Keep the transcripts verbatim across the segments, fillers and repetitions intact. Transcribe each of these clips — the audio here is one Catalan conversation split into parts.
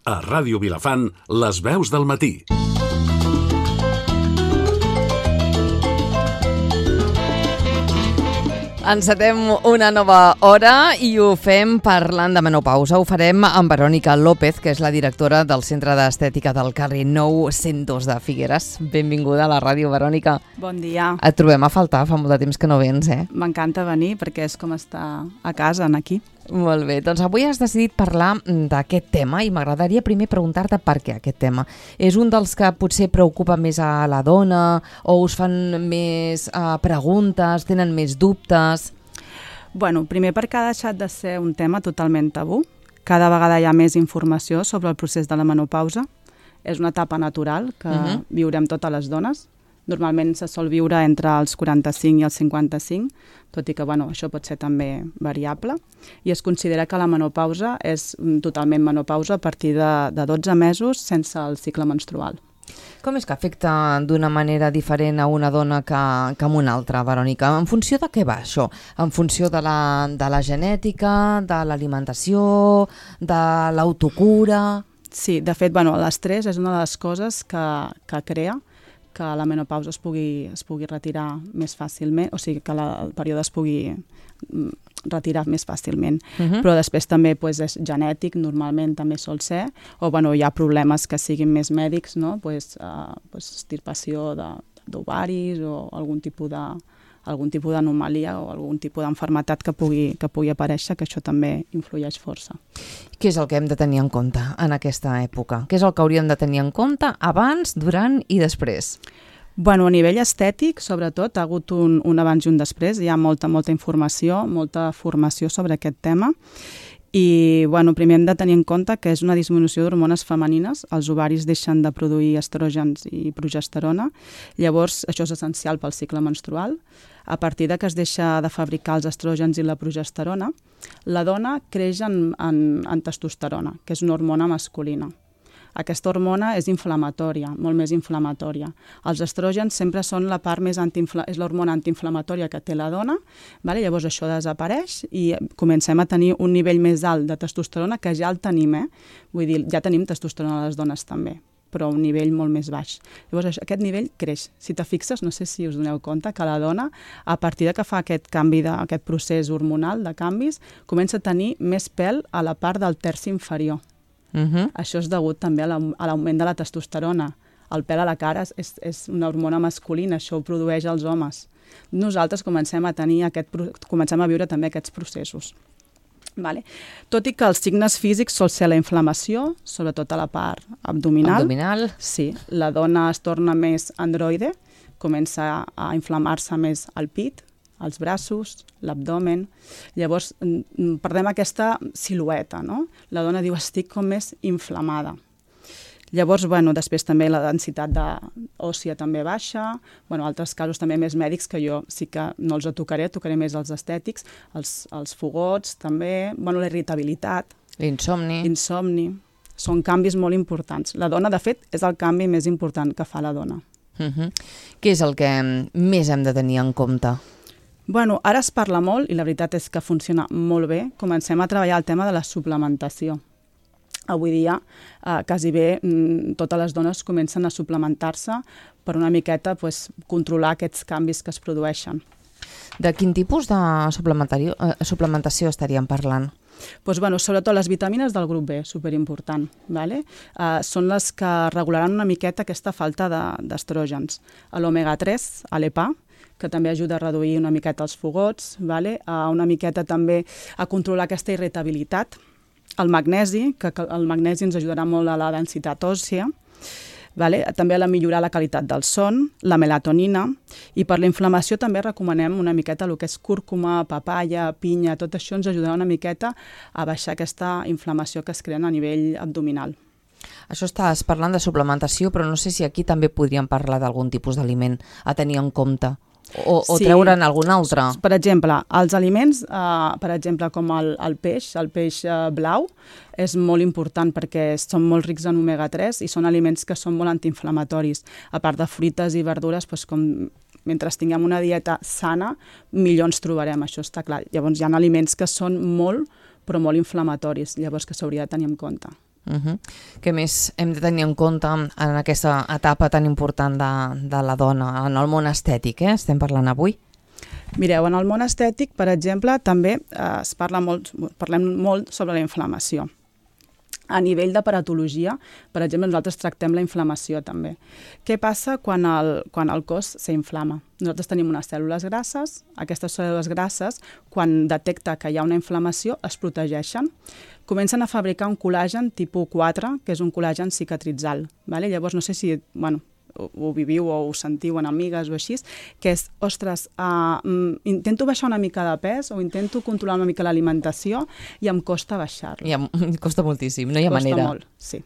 A Ràdio Vilafant, les veus del matí. Encetem una nova hora i ho fem parlant de menopausa. Ho farem amb Verònica López, que és la directora del Centre d'Estètica del carrer nou cent dos de Figueres. Benvinguda a la ràdio, Verònica. Bon dia. Et trobem a faltar, fa molt de temps que no vens, eh? M'encanta venir perquè és com estar a casa, aquí. Molt bé, doncs avui has decidit parlar d'aquest tema i m'agradaria primer preguntar-te per què aquest tema. És un dels que potser preocupa més a la dona o us fan més uh, preguntes, tenen més dubtes? Bueno, primer perquè ha deixat de ser un tema totalment tabú. Cada vegada hi ha més informació sobre el procés de la menopausa. És una etapa natural que uh-huh. viurem totes les dones. Normalment se sol viure entre els quaranta-cinc i els cinquanta-cinc, tot i que bueno, això pot ser també variable. I es considera que la menopausa és totalment menopausa a partir de, de dotze mesos sense el cicle menstrual. Com és que afecta d'una manera diferent a una dona que, que a una altra, Verònica? En funció de què va això? En funció de la, de la genètica, de l'alimentació, de l'autocura? Sí, de fet, bueno, l'estrès és una de les coses que, que crea que la menopausa es pugui, es pugui retirar més fàcilment, o sigui, que la, el període es pugui retirar més fàcilment. Uh-huh. Però després també pues, és genètic, normalment també sol ser, o bueno, hi ha problemes que siguin més mèdics, no? pues, uh, pues, estirpació d'ovaris o algun tipus de algun tipus d'anomalia o algun tipus d'enfermetat que pugui, que pugui aparèixer, que això també influeix força. Què és el que hem de tenir en compte en aquesta època? Què és el que hauríem de tenir en compte abans, durant i després? Bueno, a nivell estètic, sobretot, ha hagut un, un abans i un després. Hi ha molta, molta informació, molta formació sobre aquest tema. I bueno, primer hem de tenir en compte que és una disminució d'hormones femenines, els ovaris deixen de produir estrògens i progesterona, llavors això és essencial pel cicle menstrual. A partir de que es deixa de fabricar els estrògens i la progesterona, la dona creix en, en, en testosterona, que és una hormona masculina. Aquesta hormona és inflamatòria, molt més inflamatòria. Els estrògens sempre són la part més antiinfla... és l'hormona antiinflamatòria que té la dona, vale? Llavors això desapareix i comencem a tenir un nivell més alt de testosterona, que ja el tenim, eh? Vull dir, ja tenim testosterona a les dones també, però a un nivell molt més baix. Llavors aquest nivell creix. Si te fixes, no sé si us doneu compte, que la dona, a partir de que fa aquest canvi, de, aquest procés hormonal de canvis, comença a tenir més pèl a la part del terç inferior. Uh-huh. Això és degut també a l'augment de la testosterona. El pèl a la cara és, és una hormona masculina, això ho produeix als homes. Nosaltres comencem a tenir aquest, comencem a viure també aquests processos. Vale. Tot i que els signes físics sol ser la inflamació, sobretot a la part abdominal. Abdominal. Sí, la dona es torna més androide, comença a inflamar-se més al pit, els braços, l'abdomen. Llavors, perdem aquesta silueta, no? La dona diu, estic com més inflamada. Llavors, bueno, després també la densitat de òssia també baixa, bueno, altres casos també més mèdics que jo sí que no els tocaré, tocaré més els estètics, els, els fogots també, bueno, la irritabilitat. L'insomni. Insomni. Són canvis molt importants. La dona, de fet, és el canvi més important que fa la dona. Uh-huh. Què és el que més hem de tenir en compte? Bueno, ara es parla molt, i la veritat és que funciona molt bé. Comencem a treballar el tema de la suplementació. Avui dia, eh, quasi bé, mm, totes les dones comencen a suplementar-se per una miqueta pues, controlar aquests canvis que es produeixen. De quin tipus de suplementació, eh, suplementació estaríem parlant? Pues, bueno, sobretot les vitamines del grup B, superimportant. Vale? Eh, són les que regularan una miqueta aquesta falta d'estrògens. De, l'omega tres, a l'E P A, que també ajuda a reduir una miqueta els fogots, vale? A una miqueta també a controlar aquesta irritabilitat. El magnesi, que el magnesi ens ajudarà molt a la densitat òssia, vale? També a millorar la qualitat del son, la melatonina, i per la inflamació també recomanem una miqueta el que és cúrcuma, papaya, pinya, tot això ens ajudarà una miqueta a baixar aquesta inflamació que es crea a nivell abdominal. Això estàs parlant de suplementació, però no sé si aquí també podríem parlar d'algun tipus d'aliment a tenir en compte. O, o sí, treure'n algun altre? Per exemple, els aliments, eh, per exemple, com el, el peix, el peix eh, blau, és molt important perquè són molt rics en omega tres i són aliments que són molt antiinflamatoris. A part de fruites i verdures, doncs, com, mentre tinguem una dieta sana, millor ens trobarem, això està clar. Llavors hi ha aliments que són molt, però molt inflamatoris, llavors que s'hauria de tenir en compte. Uh-huh. Què més hem de tenir en compte en aquesta etapa tan important de, de la dona, en el món estètic, eh? Estem parlant avui? Mireu, en el món estètic, per exemple, també eh, es parla molt, parlem molt sobre la inflamació. A nivell de paratologia, per exemple, nosaltres tractem la inflamació també. Què passa quan el, quan el cos s'inflama? Nosaltres tenim unes cèl·lules grasses, aquestes cèl·lules grasses, quan detecta que hi ha una inflamació, es protegeixen. Comencen a fabricar un col·làgen tipus quatre, que és un col·làgen cicatritzal. Vale? Llavors, no sé si... Bueno, ho, ho viviu o ho sentiu en amigues o així, que és, ostres, uh, intento baixar una mica de pes o intento controlar una mica l'alimentació i em costa baixar-lo. I em costa moltíssim, no hi ha costa manera. Molt, sí.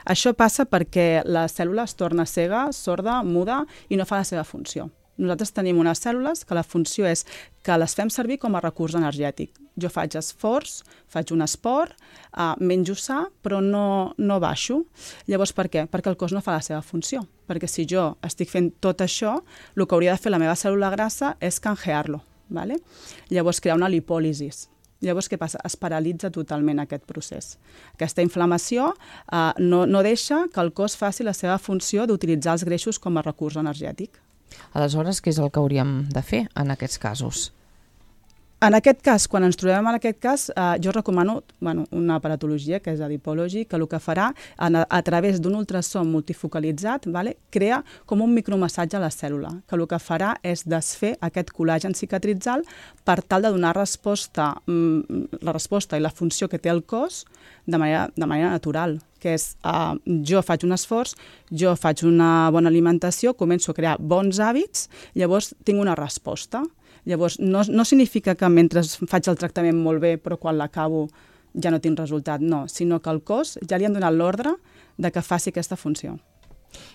Això passa perquè la cèl·lula es torna cega, sorda, muda i no fa la seva funció. Nosaltres tenim unes cèl·lules que la funció és que les fem servir com a recurs energètic. Jo faig esforç, faig un esport, uh, menjo sa, però no, no baixo. Llavors, per què? Perquè el cos no fa la seva funció. Perquè si jo estic fent tot això, el que hauria de fer la meva cèl·lula grassa és canjear-lo. ¿Vale? Llavors, crear una lipòlisis. Llavors, què passa? Es paralitza totalment aquest procés. Aquesta inflamació uh, no, no deixa que el cos faci la seva funció d'utilitzar els greixos com a recurs energètic. Aleshores, què és el que hauríem de fer en aquests casos? En aquest cas, quan ens trobem en aquest cas, eh, jo recomano bueno, una aparatologia, que és Adipology, que el que farà, a, a través d'un ultrasò multifocalitzat, vale, crea com un micromassatge a la cèl·lula, que el que farà és desfer aquest col·làgen cicatritzal per tal de donar resposta, mm, la resposta i la funció que té el cos de manera, de manera natural, que és uh, jo faig un esforç, jo faig una bona alimentació, començo a crear bons hàbits, llavors tinc una resposta. Llavors, no, no significa que mentre faig el tractament molt bé, però quan l'acabo ja no tinc resultat, no, sinó que al cos ja li han donat l'ordre de que faci aquesta funció.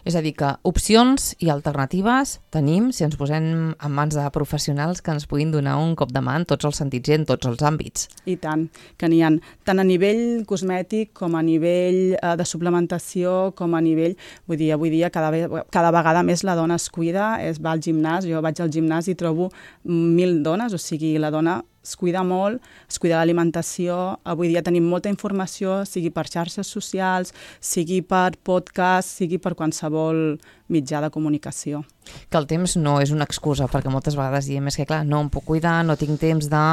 És a dir, que opcions i alternatives tenim si ens posem en mans de professionals que ens puguin donar un cop de mà en tots els sentits i en tots els àmbits. I tant, que n'hi ha tant a nivell cosmètic com a nivell eh, de suplementació, com a nivell... Vull dir, avui dia cada, cada vegada més la dona es cuida, es va al gimnàs, jo vaig al gimnàs i trobo mil dones, o sigui, la dona es cuida molt, es cuida l'alimentació. Avui dia tenim molta informació, sigui per xarxes socials, sigui per podcast, sigui per qualsevol mitjà de comunicació. Que el temps no és una excusa, perquè moltes vegades diem és que clar, no em puc cuidar, no tinc temps de...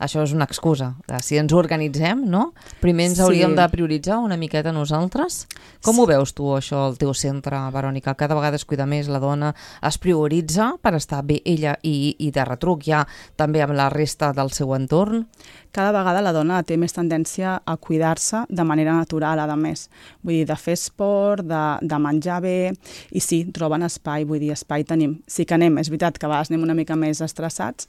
Això és una excusa. Si ens organitzem, no? Primer ens hauríem sí. de prioritzar una miqueta nosaltres. Com sí. ho veus tu, això, al teu centre, Verònica? Cada vegada es cuida més la dona, es prioritza per estar bé ella i, i de retruc ja també amb la resta del seu entorn? Cada vegada la dona té més tendència a cuidar-se de manera natural, a més. Vull dir, de fer esport, de, de menjar bé, i sí, troben espai, vull dir, espai tenim. Sí que anem, és veritat que a vegades anem una mica més estressats.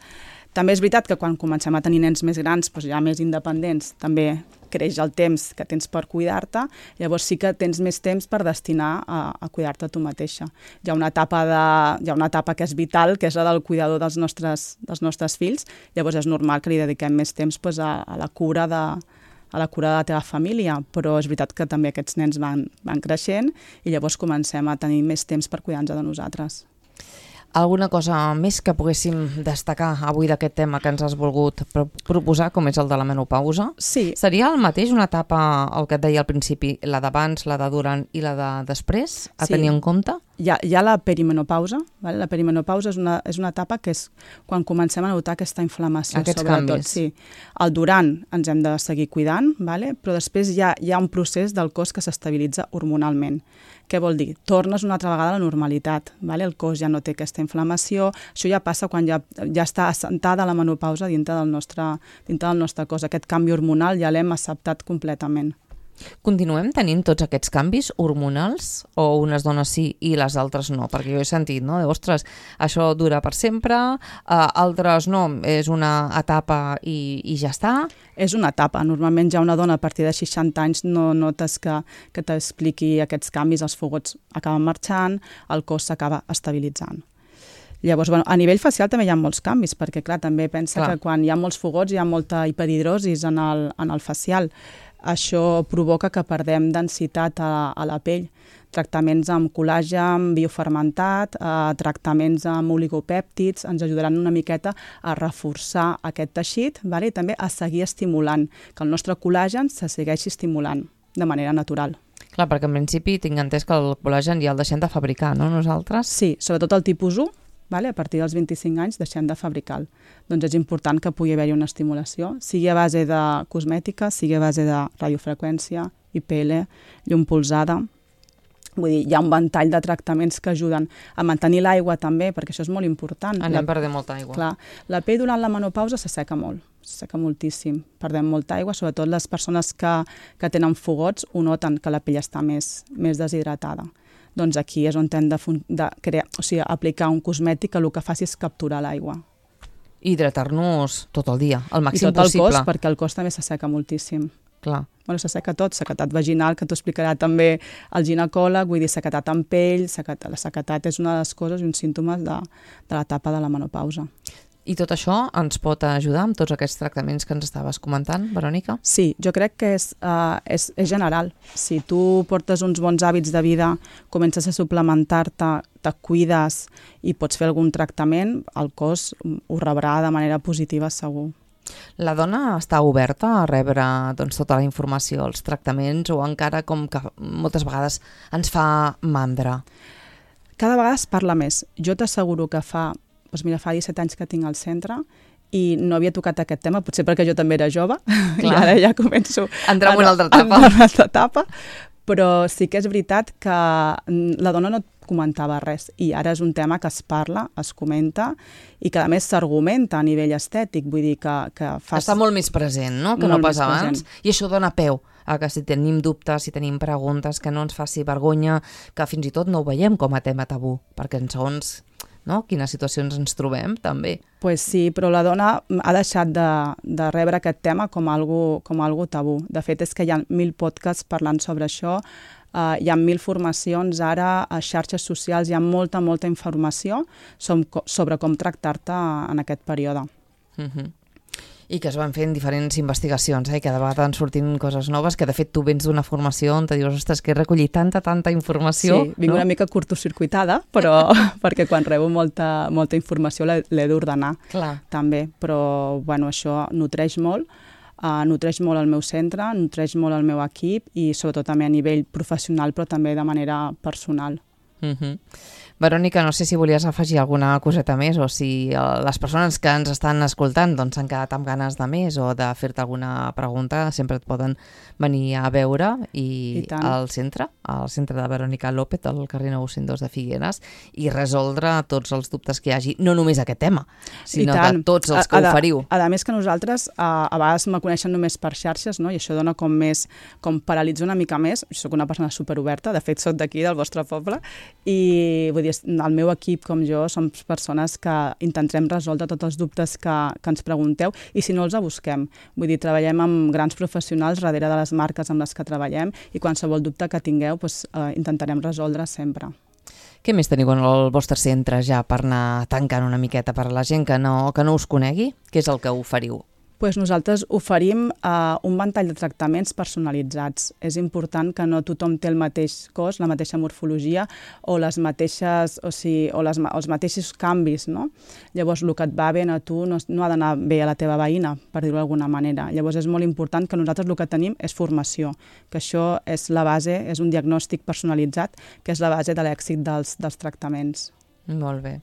També és veritat que quan comencem a tenir nens més grans, doncs ja més independents, també creix el temps que tens per cuidar-te, llavors sí que tens més temps per destinar a, a cuidar-te tu mateixa. Hi ha una etapa, de, hi ha una etapa que és vital, que és la del cuidador dels nostres, dels nostres fills, llavors és normal que li dediquem més temps doncs, a, a la cura de a la cura de la teva família, però és veritat que també aquests nens van, van creixent i llavors comencem a tenir més temps per cuidar-nos de nosaltres. Alguna cosa més que poguéssim destacar avui d'aquest tema que ens has volgut pro proposar, com és el de la menopausa? Sí. Seria el mateix una etapa, el que et deia al principi, la d'abans, la de durant i la de després, a sí. tenir en compte? Hi ha, hi ha la perimenopausa. Vale? La perimenopausa és una, és una etapa que és quan comencem a notar aquesta inflamació. Aquests sobretot. canvis. Sí. El durant ens hem de seguir cuidant, vale? Però després hi ha, hi ha un procés del cos que s'estabilitza hormonalment. Què vol dir? Tornes una altra vegada a la normalitat. Vale? El cos ja no té aquesta inflamació. Això ja passa quan ja, ja està assentada la menopausa dintre del, nostre, dintre del nostre cos. Aquest canvi hormonal ja l'hem acceptat completament. Continuem tenint tots aquests canvis hormonals o unes dones sí i les altres no? Perquè jo he sentit, no? De, ostres, això dura per sempre, uh, altres no, és una etapa i, i ja està. És una etapa. Normalment ja una dona a partir de seixanta anys no notes que, que t'expliqui aquests canvis, els fogots acaben marxant, el cos s'acaba estabilitzant. Llavors, bueno, a nivell facial també hi ha molts canvis, perquè clar, també pensa clar. que quan hi ha molts fogots hi ha molta hiperhidrosis en el, en el facial. Això provoca que perdem densitat a, a la pell. Tractaments amb col·làgen biofermentat, eh, tractaments amb oligopèptids ens ajudaran una miqueta a reforçar aquest teixit, vale? I també a seguir estimulant, que el nostre col·làgen se segueixi estimulant. de manera natural. Clar, perquè en principi tinc entès que el col·lagen ja el deixem de fabricar, no, nosaltres? Sí, sobretot el tipus u, vale? A partir dels vint-i-cinc anys deixem de fabricar-lo. Doncs és important que pugui haver-hi una estimulació, sigui a base de cosmètica, sigui a base de radiofreqüència, I P L, llum polsada. Vull dir, hi ha un ventall de tractaments que ajuden a mantenir l'aigua també, perquè això és molt important. Anem perdent molta aigua. Clar, la pell durant la menopausa s'asseca molt, s'asseca moltíssim. Perdem molta aigua, sobretot les persones que, que tenen fogots ho noten que la pell està més, més deshidratada. Doncs aquí és on hem de, de crear, o sigui, aplicar un cosmètic que el que faci és capturar l'aigua. Hidratar-nos tot el dia, el màxim possible. I tot possible. el cos, perquè el cos també s'asseca moltíssim. Clar. Bueno, s'asseca tot, sequedat vaginal, que t'ho explicarà també el ginecòleg, vull dir, sequedat en pell, sequedat, la sequedat és una de les coses i uns símptomes de, de l'etapa de la menopausa. I tot això ens pot ajudar amb tots aquests tractaments que ens estaves comentant, Verònica? Sí, jo crec que és, uh, és, és general. Si tu portes uns bons hàbits de vida, comences a suplementar-te, te cuides i pots fer algun tractament, el cos ho rebrà de manera positiva segur. La dona està oberta a rebre doncs, tota la informació, els tractaments, o encara com que moltes vegades ens fa mandra? Cada vegada es parla més. Jo t'asseguro que fa, doncs mira, fa disset anys que tinc al centre i no havia tocat aquest tema, potser perquè jo també era jove, i ara ja començo Entrem en una altra etapa. En una altra etapa, però sí que és veritat que la dona no comentava res i ara és un tema que es parla, es comenta i que a més s'argumenta a nivell estètic, vull dir que... que fas... Està molt més present, no?, que no pas abans, i això dona peu a que si tenim dubtes, si tenim preguntes, que no ens faci vergonya, que fins i tot no ho veiem com a tema tabú, perquè en segons, no?, quines situacions ens trobem, també. Pues sí, però la dona ha deixat de, de rebre aquest tema com algo, com algo tabú. De fet, és que hi ha mil podcasts parlant sobre això, uh, hi ha mil formacions ara, a xarxes socials hi ha molta, molta informació sobre com tractar-te en aquest període. Uh-huh. I que es van fent diferents investigacions, eh? I cada vegada van sortint coses noves, que de fet tu vens d'una formació on te dius, ostres, que he recollit tanta, tanta informació. Sí, vinc no? una mica curtocircuitada, però perquè quan rebo molta, molta informació l'he d'ordenar també, però bueno, això nutreix molt, uh, nutreix molt el meu centre, nutreix molt el meu equip i sobretot també a nivell professional, però també de manera personal. Uh-huh. Verònica, no sé si volies afegir alguna coseta més o si les persones que ens estan escoltant doncs, han quedat amb ganes de més o de fer-te alguna pregunta, sempre et poden venir a veure i, I al centre, al centre de Verònica López, al carrer nou-cents dos de Figueres, i resoldre tots els dubtes que hi hagi, no només aquest tema, sinó de tots els que a, oferiu. A, a més que nosaltres a, a vegades me coneixen només per xarxes, no? I això dona com més, com paralitza una mica més. Jo soc una persona superoberta, de fet soc d'aquí, del vostre poble, i vull dir, el meu equip com jo som persones que intentarem resoldre tots els dubtes que, que ens pregunteu i si no els busquem. Vull dir, treballem amb grans professionals darrere de les marques amb les que treballem i qualsevol dubte que tingueu doncs, eh, intentarem resoldre sempre. Què més teniu en el vostre centre ja per anar tancant una miqueta per a la gent que no, que no us conegui? Què és el que oferiu? Pues nosaltres oferim uh, un ventall de tractaments personalitzats. És important que no tothom té el mateix cos, la mateixa morfologia o les mateixes, o sigui, o les, els mateixos canvis, no? Llavors, el que et va bé a tu no, no ha d'anar bé a la teva veïna, per dir-ho d'alguna manera. Llavors, és molt important que nosaltres el que tenim és formació, que això és la base, és un diagnòstic personalitzat, que és la base de l'èxit dels, dels tractaments. Molt bé.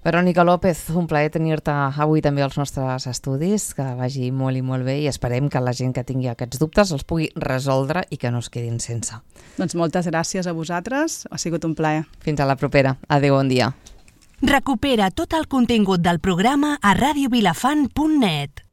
Verònica López, un plaer tenir-te avui també als nostres estudis, que vagi molt i molt bé i esperem que la gent que tingui aquests dubtes els pugui resoldre i que no es quedin sense. Doncs moltes gràcies a vosaltres, ha sigut un plaer. Fins a la propera. Adéu, bon dia. Recupera tot el contingut del programa a radio vilafant punt net.